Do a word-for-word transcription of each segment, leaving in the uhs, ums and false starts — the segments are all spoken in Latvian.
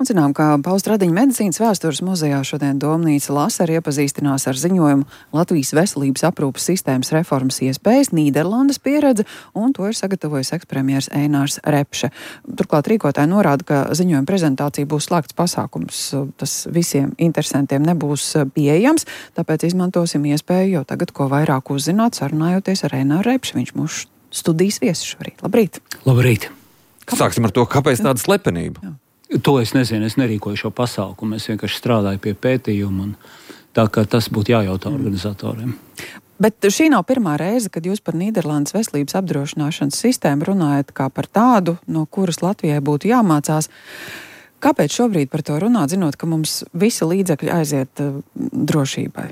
Un zinām, ka Pauls Radiņa medicīnas vēstures muzejā šodien Domnīca Lasa arī iepazīstinās ar ziņojumu Latvijas veselības aprūpes sistēmas reformas iespējas, Nīderlandes pieredze, un to ir sagatavojis ekspremjers Einārs Repše. Turklāt rīkotāji norāda, ka ziņojuma prezentācija būs slēgts pasākums. Tas visiem interesantiem nebūs pieejams, tāpēc izmantosim iespēju jau tagad ko vairāk uzzināt, sarunājoties ar Eināru Repši. Viņš mūsu studijas viesis šorīt. Labrīt! Labrīt! Kāpēc? Sāksim ar to, kāpēc tāda slepenība? Jā. To es nezinu, es nerīkoju šo pasākumu, es vienkārši strādāju pie pētījuma, un tā kā tas būtu jājautā organizatoriem. Bet šī nav pirmā reize, kad jūs par Nīderlandes veselības apdrošināšanas sistēmu runājat kā par tādu, no kuras Latvijai būtu jāmācās. Kāpēc šobrīd par to runāt, zinot, ka mums visi līdzekļi aiziet uh, drošībai?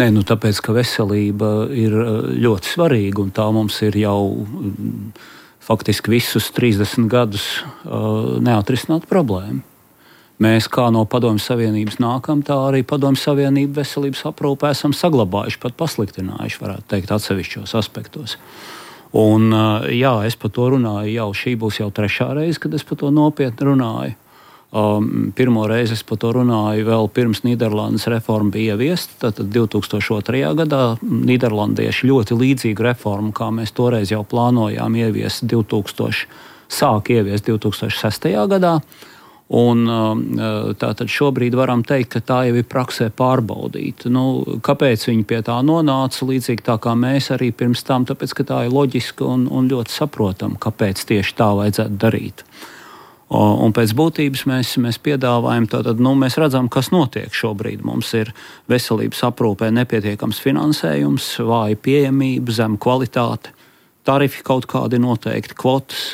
Nē, nu tāpēc, ka veselība ir ļoti svarīga, un tā mums ir jau faktiski visus trīsdesmit gadus uh, neatrisināt problēmu. Mēs kā no Padomju Savienības nākam, tā arī Padomju Savienība veselības aprūpē esam saglabājuši, pat pasliktinājuši, varētu teikt, atsevišķos aspektos. Un uh, jā, es par to runāju jau, šī būs jau trešā reize, kad es par to nopietni runāju. Um, pirmo reizi es par to runāju vēl pirms Nīderlandes reforma bija ieviesta, tātad divi tūkstoši otrajā gadā. Nīderlandieši ļoti līdzīgu reformu, kā mēs toreiz jau plānojām ieviest divi tūkstoši, sāk ieviest divi tūkstoši sestajā gadā. Un um, tātad šobrīd varam teikt, ka tā jau ir praksē pārbaudīta. Nu, kāpēc viņi pie tā nonāca, līdzīgi tā kā mēs arī pirms tam, tāpēc, ka tā ir loģiska un, un ļoti saprotama, kāpēc tieši tā vajadzētu darīt. Un pēc būtības mēs, mēs piedāvājam, tātad, nu, mēs redzam, kas notiek šobrīd. Mums ir veselības aprūpē nepietiekams finansējums, vāja pieejamība, zema kvalitāte, tarifi kaut kādi noteikti, kvotas,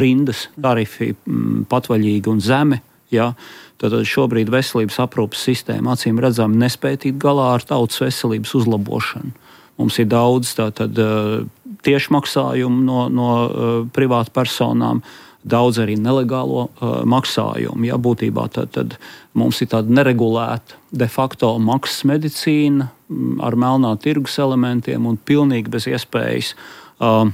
rindas, tarifi m, patvaļīgi un zemi. Ja? Tātad šobrīd veselības aprūpes sistēma acīm redzam nespēj tikt galā ar tautas veselības uzlabošanu. Mums ir daudz tātad, tiešmaksājumu no, no privātu personām, daudz arī nelegālo uh, maksājumu. Ja, būtībā tad, tad mums ir tāda neregulēta de facto maksas medicīna m, ar melnā tirgus elementiem un pilnīgi bez iespējas uh,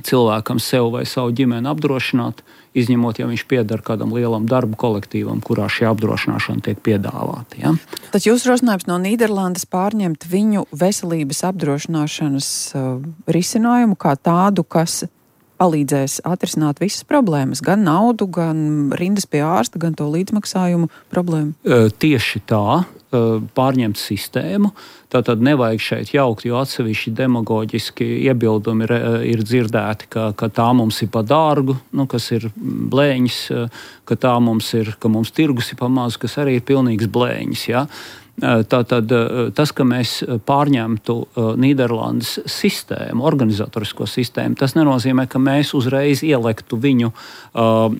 cilvēkam sev vai savu ģimeni apdrošināt, izņemot, ja viņš pieder kādam lielam darbu kolektīvam, kurā šī apdrošināšana tiek piedāvāta. Ja? Tad jūs rosinājums no Nīderlandes pārņemt viņu veselības apdrošināšanas uh, risinājumu kā tādu, kas palīdzēs atrisināt visas problēmas, gan naudu, gan rindas pie ārsta, gan to līdzmaksājumu problēmu? Tieši tā, pārņemt sistēmu. Tātad nevajag šeit jaukt, jo atsevišķi demagoģiski iebildumi ir, ir dzirdēti, ka, ka tā mums ir pa dārgu, nu, kas ir blēņas, ka tā mums ir, ka mums tirgus ir pa maz, kas arī ir pilnīgs blēņas, ja? Tātad tas, ka mēs pārņemtu Nīderlandes sistēmu, organizatorisko sistēmu, tas nenozīmē, ka mēs uzreiz ielektu viņu uh,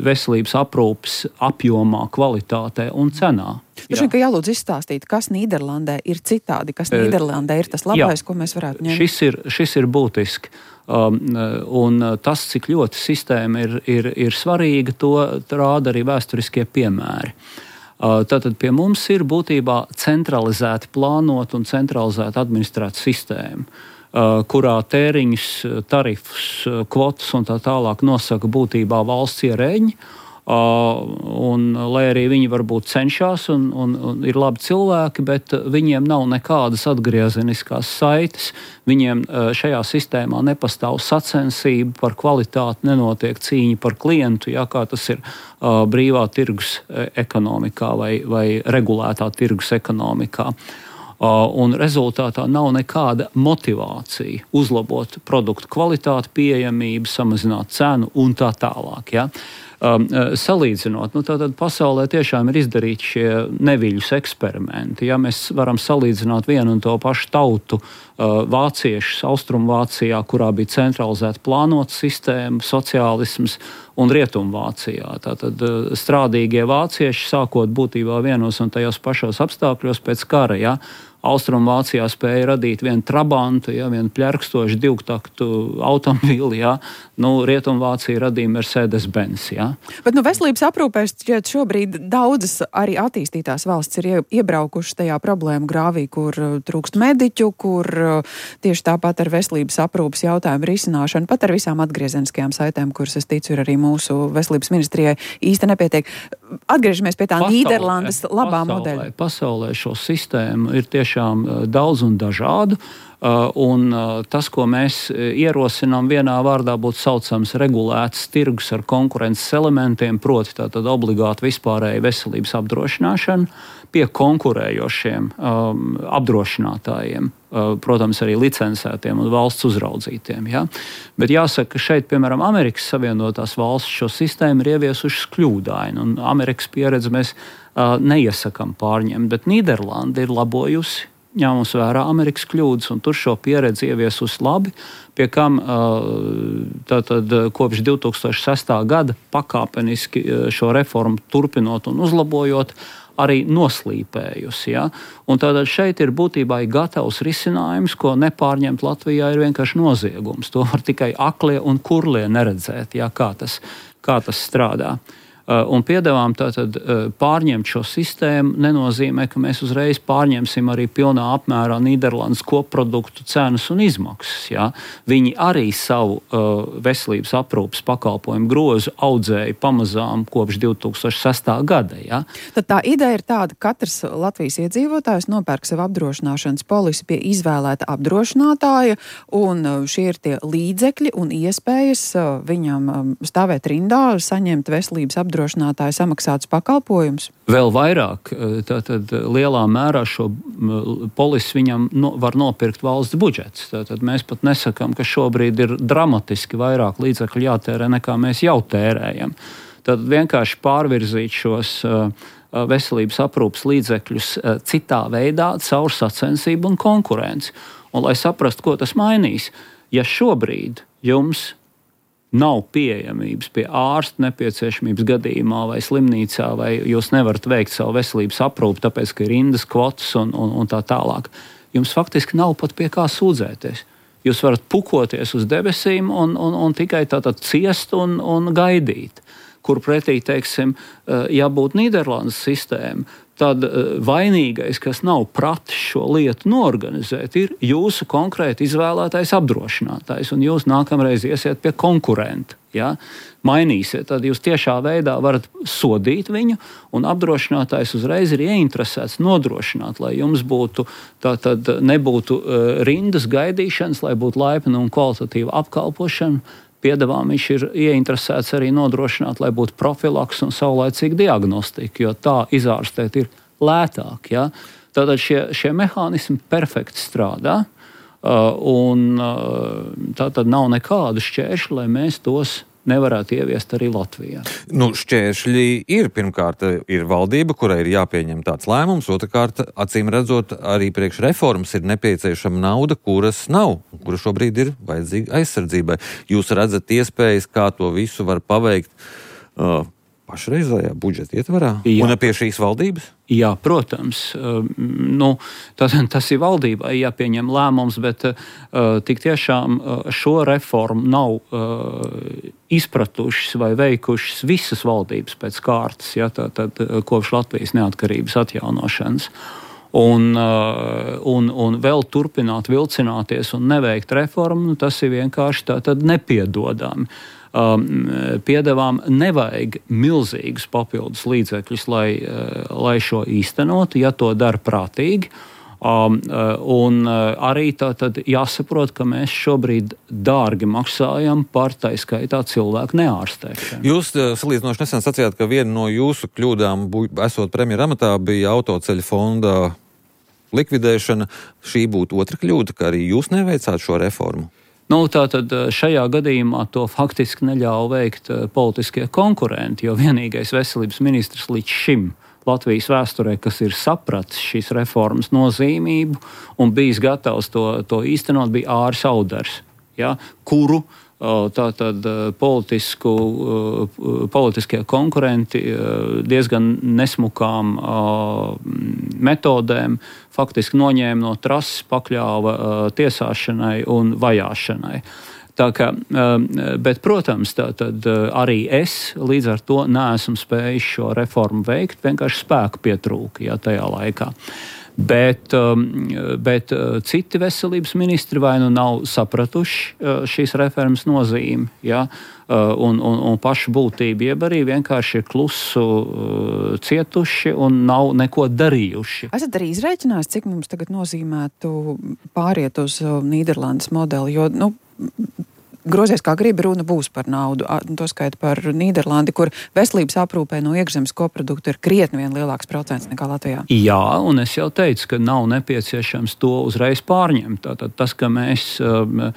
veselības aprūpes apjomā, kvalitātē un cenā. Droši vien, ka jālūdz izstāstīt, kas Nīderlandē ir citādi, kas Nīderlandē ir tas labais, Jā. Ko mēs varētu ņemt. Šis ir, šis ir būtiski. Um, un tas, cik ļoti sistēma ir, ir, ir svarīga, to rāda arī vēsturiskie piemēri. Tātad pie mums ir būtībā centralizēti plānot un centralizēti administrēta sistēma, kurā tēriņus, tarifus, kvotas un tā tālāk nosaka būtībā valsts ierēģi. Un, lai arī viņi varbūt cenšas un, un, un ir labi cilvēki, bet viņiem nav nekādas atgriezeniskās saites. Viņiem šajā sistēmā nepastāv sacensība par kvalitāti, nenotiek cīņa par klientu, ja, kā tas ir uh, brīvā tirgus ekonomikā vai, vai regulētā tirgus ekonomikā. Uh, un rezultātā nav nekāda motivācija uzlabot produktu kvalitāti, pieejamību, samazināt cenu un tā tālāk. Ja. Um, salīdzinot, nu tātad pasaulē tiešām ir izdarīti šie neviļus eksperimenti. Ja mēs varam salīdzināt vienu un to pašu tautu, uh, vāciešus Austrumvācijā, kurā bija centralizēta plānota sistēma, sociālisms, un Rietumvācijā. Tātad uh, strādīgie vācieši, sākot būtībā vienos un tajos pašos apstākļos pēc kara, ja, Austrumvācijā spēja radīt vienu trabantu, ja, vienu pļerkstošu divtaktu automobīli, ja. Nu, Rietumvācija radīja Mercedes-Benz. Ja. Bet nu, veselības aprūpēs šobrīd daudzas arī attīstītās valsts ir iebraukušas tajā problēmu grāvī, kur trūkst mediķu, kur tieši tāpat ar veselības aprūpes jautājumu risināšanu, pat ar visām atgriezeniskajām saitēm, kuras es ticu ir arī mūsu veselības ministrijai īsti nepietiek. Atgriežamies pie tā pasaulē, Nīderlandes labā pasaulē, modeļa. Pasaulē šo sistēmu ir tiešām daudz un dažādu, un tas, ko mēs ierosinām, vienā vārdā būtu saucams regulēts tirgus ar konkurences elementiem, proti tātad obligāti vispārēji veselības apdrošināšana pie konkurējošiem um, apdrošinātājiem, uh, protams, arī licencētiem un valsts uzraudzītiem. Ja? Bet jāsaka, ka šeit, piemēram, Amerikas Savienotās valsts šo sistēmu ir ieviesušas kļūdaini, un Amerikas pieredzi mēs uh, neiesakām pārņemt, bet Nīderlanda ir labojusi, ņēmus vērā Amerikas kļūdas, un tur šo pieredzi ieviesusi labi, pie kam tātad kopš divi tūkstoši sestā gada pakāpeniski šo reformu turpinot un uzlabojot, arī noslīpējusi. Ja? Un tātad šeit ir būtībā gatavs risinājums, ko nepārņemt Latvijā ir vienkārši noziegums. To var tikai aklie un kurlie neredzēt, ja? kā, tas, kā tas strādā. Un piedāvām tātad pārņemt šo sistēmu nenozīmē, ka mēs uzreiz pārņemsim arī pilnā apmērā Nīderlandes kopproduktu cenas un izmaksas. Ja? Viņi arī savu uh, veselības aprūpes pakalpojumu grozu audzēja pamazām kopš divi tūkstoši sestā gada. Ja? Tad tā ideja ir tāda, ka katrs Latvijas iedzīvotājs nopērk savu apdrošināšanas polisi pie izvēlēta apdrošinātāja, un šie ir tie līdzekļi un iespējas viņam stāvēt rindā, saņemt veselības apdrošinātāju apdrošinātāji samaksātus pakalpojumus? Vēl vairāk, tātad lielā mērā šo polisi viņam no, var nopirkt valsts budžets. Tātad mēs pat nesakām, ka šobrīd ir dramatiski vairāk līdzekļu jātērē, nekā mēs jau tērējam. Tad vienkārši pārvirzīt šos uh, veselības aprūpes līdzekļus uh, citā veidā, caur sacensību un konkurenci. Un lai saprastu, ko tas mainīs, ja šobrīd jums nav pieejamības pie ārsta nepieciešamības gadījumā vai slimnīcā, vai jūs nevarat veikt savu veselības aprūpi, tāpēc, ka ir rindas, kvotas un, un, un tā tālāk. Jums faktiski nav pat pie kā sūdzēties. Jūs varat pukoties uz debesīm un, un, un tikai tātad ciest un, un gaidīt. Kur pretī, teiksim, ja būtu Nīderlandes sistēma, tad vainīgais, kas nav pratis šo lietu norganizēt, ir jūsu konkrēti izvēlētais apdrošinātājs, un jūs nākamreiz iesiet pie konkurenta. Ja? Mainīsiet, tad jūs tiešā veidā varat sodīt viņu, un apdrošinātājs uzreiz ir ieinteresēts nodrošināt, lai jums būtu, tātad nebūtu rindas gaidīšanas, lai būtu laipna un kvalitatīva apkalpošana. Piedāvām viņš ir ieinteresēts arī nodrošināt, lai būtu profilaks un saulaicīga diagnostika, jo tā izārstēt ir lētāk. Ja? Tātad šie, šie mehānismi perfekti strādā, uh, un uh, tātad nav nekādu šķēršļu, lai mēs tos nevarētu ieviest arī Latvijā. Nu, šķēršļi ir. Pirmkārt, ir valdība, kurai ir jāpieņem tāds lēmums. Otrakārt, acīm redzot, arī priekš reformas ir nepieciešama nauda, kuras nav, kura šobrīd ir vajadzīga aizsardzībai. Jūs redzat iespējas, kā to visu var paveikt uh, pašreizējā budžeta ietvarā? Jā. Un pie šīs valdības? Jā, protams. Uh, nu, tas, tas ir valdībai jāpieņem lēmums, bet uh, tik tiešām uh, šo reformu nav uh, izpratušas vai veikušas visas valdības pēc kārtas, ja, tā, tad, kopš Latvijas neatkarības atjaunošanas. Un, uh, un, un vēl turpināt vilcināties un neveikt reformu, nu, tas ir vienkārši tā, tad nepiedodami. Um, piedāvām nevajag milzīgus papildus līdzekļus, lai, uh, lai šo īstenotu, ja to dara prātīgi. Um, uh, un uh, arī tā tad jāsaprot, ka mēs šobrīd dārgi maksājam par tā skaitā cilvēku neārstēšanu. Jūs uh, salīdzinoši nesen sacījāt, ka viena no jūsu kļūdām, esot premjera amatā, bija autoceļu fonda likvidēšana. Šī būtu otra kļūda, ka arī jūs neveicāt šo reformu? Nu, tātad šajā gadījumā to faktiski neļauj veikt politiskie konkurenti, jo vienīgais veselības ministrs līdz šim Latvijas vēsturē, kas ir sapratis šīs reformas nozīmību un bijis gatavs to, to īstenot, bija Āris Audars, ja, kuru Tātad politisku, politiskie konkurenti diezgan nesmukām metodēm faktiski noņēma no trases, pakļāva tiesāšanai un vajāšanai. Tā kā, bet, protams, tā, tad arī es līdz ar to neesmu spējis šo reformu veikt, vienkārši spēku pietrūka, ja, tajā laikā. Bet, bet citi veselības ministri vai nu nav sapratuši šīs reformas nozīmi, ja, un, un, un pašu būtību, jeb arī vienkārši ir klusu cietuši un nav neko darījuši. Esat arī izrēķinājis, cik mums tagad nozīmētu pāriet uz Nīderlandes modeli, jo, nu, grozies kā gribi, runa būs par naudu. To skaita par Nīderlandi, kur veselības aprūpē no iekšzemes koprodukta ir krietni vien lielāks procents nekā Latvijā. Jā, un es jau teicu, ka nav nepieciešams to uzreiz pārņemt. Tātad tas, ka mēs um,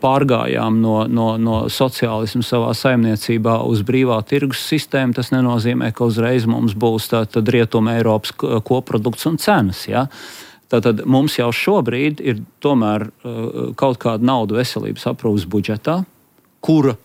pārgājām no, no, no sociālismu savā saimniecībā uz brīvā tirgus sistēmu, tas nenozīmē, ka uzreiz mums būs tātad Rietuma Eiropas koprodukts un cenas, ja? Tātad mums jau šobrīd ir tomēr uh, kaut kāda nauda veselības aprūpes budžetā, kura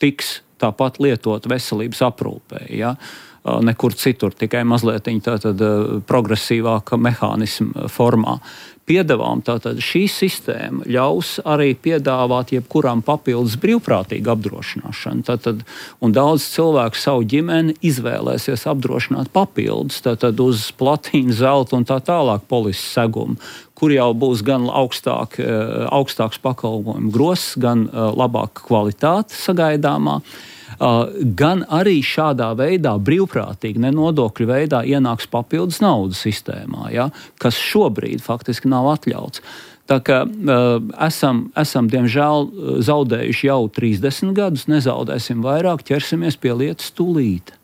tiks tāpat lietot veselības aprūpē, ja? uh, nekur citur, tikai mazliet tātad uh, progresīvāka mehānisma formā. Piedāvām tātad šī sistēma ļaus arī piedāvāt jebkuram papildus brīvprātīgu apdrošināšanu. Tātad, un daudz cilvēku savu ģimeni izvēlēsies apdrošināt papildus, tātad uz platīnu, zelta un tā tālāk polises segumu, kur jau būs gan augstāk, augstāks pakalpojumu gross, gan labāka kvalitāte sagaidāmā. Gan arī šādā veidā, brīvprātīgi, nenodokļu veidā ienāks papildus naudas sistēmā, ja, kas šobrīd faktiski nav atļauts. Tā kā uh, esam, esam, diemžēl, zaudējuši jau trīsdesmit gadus, nezaudēsim vairāk, ķersimies pie lietas tūlīt.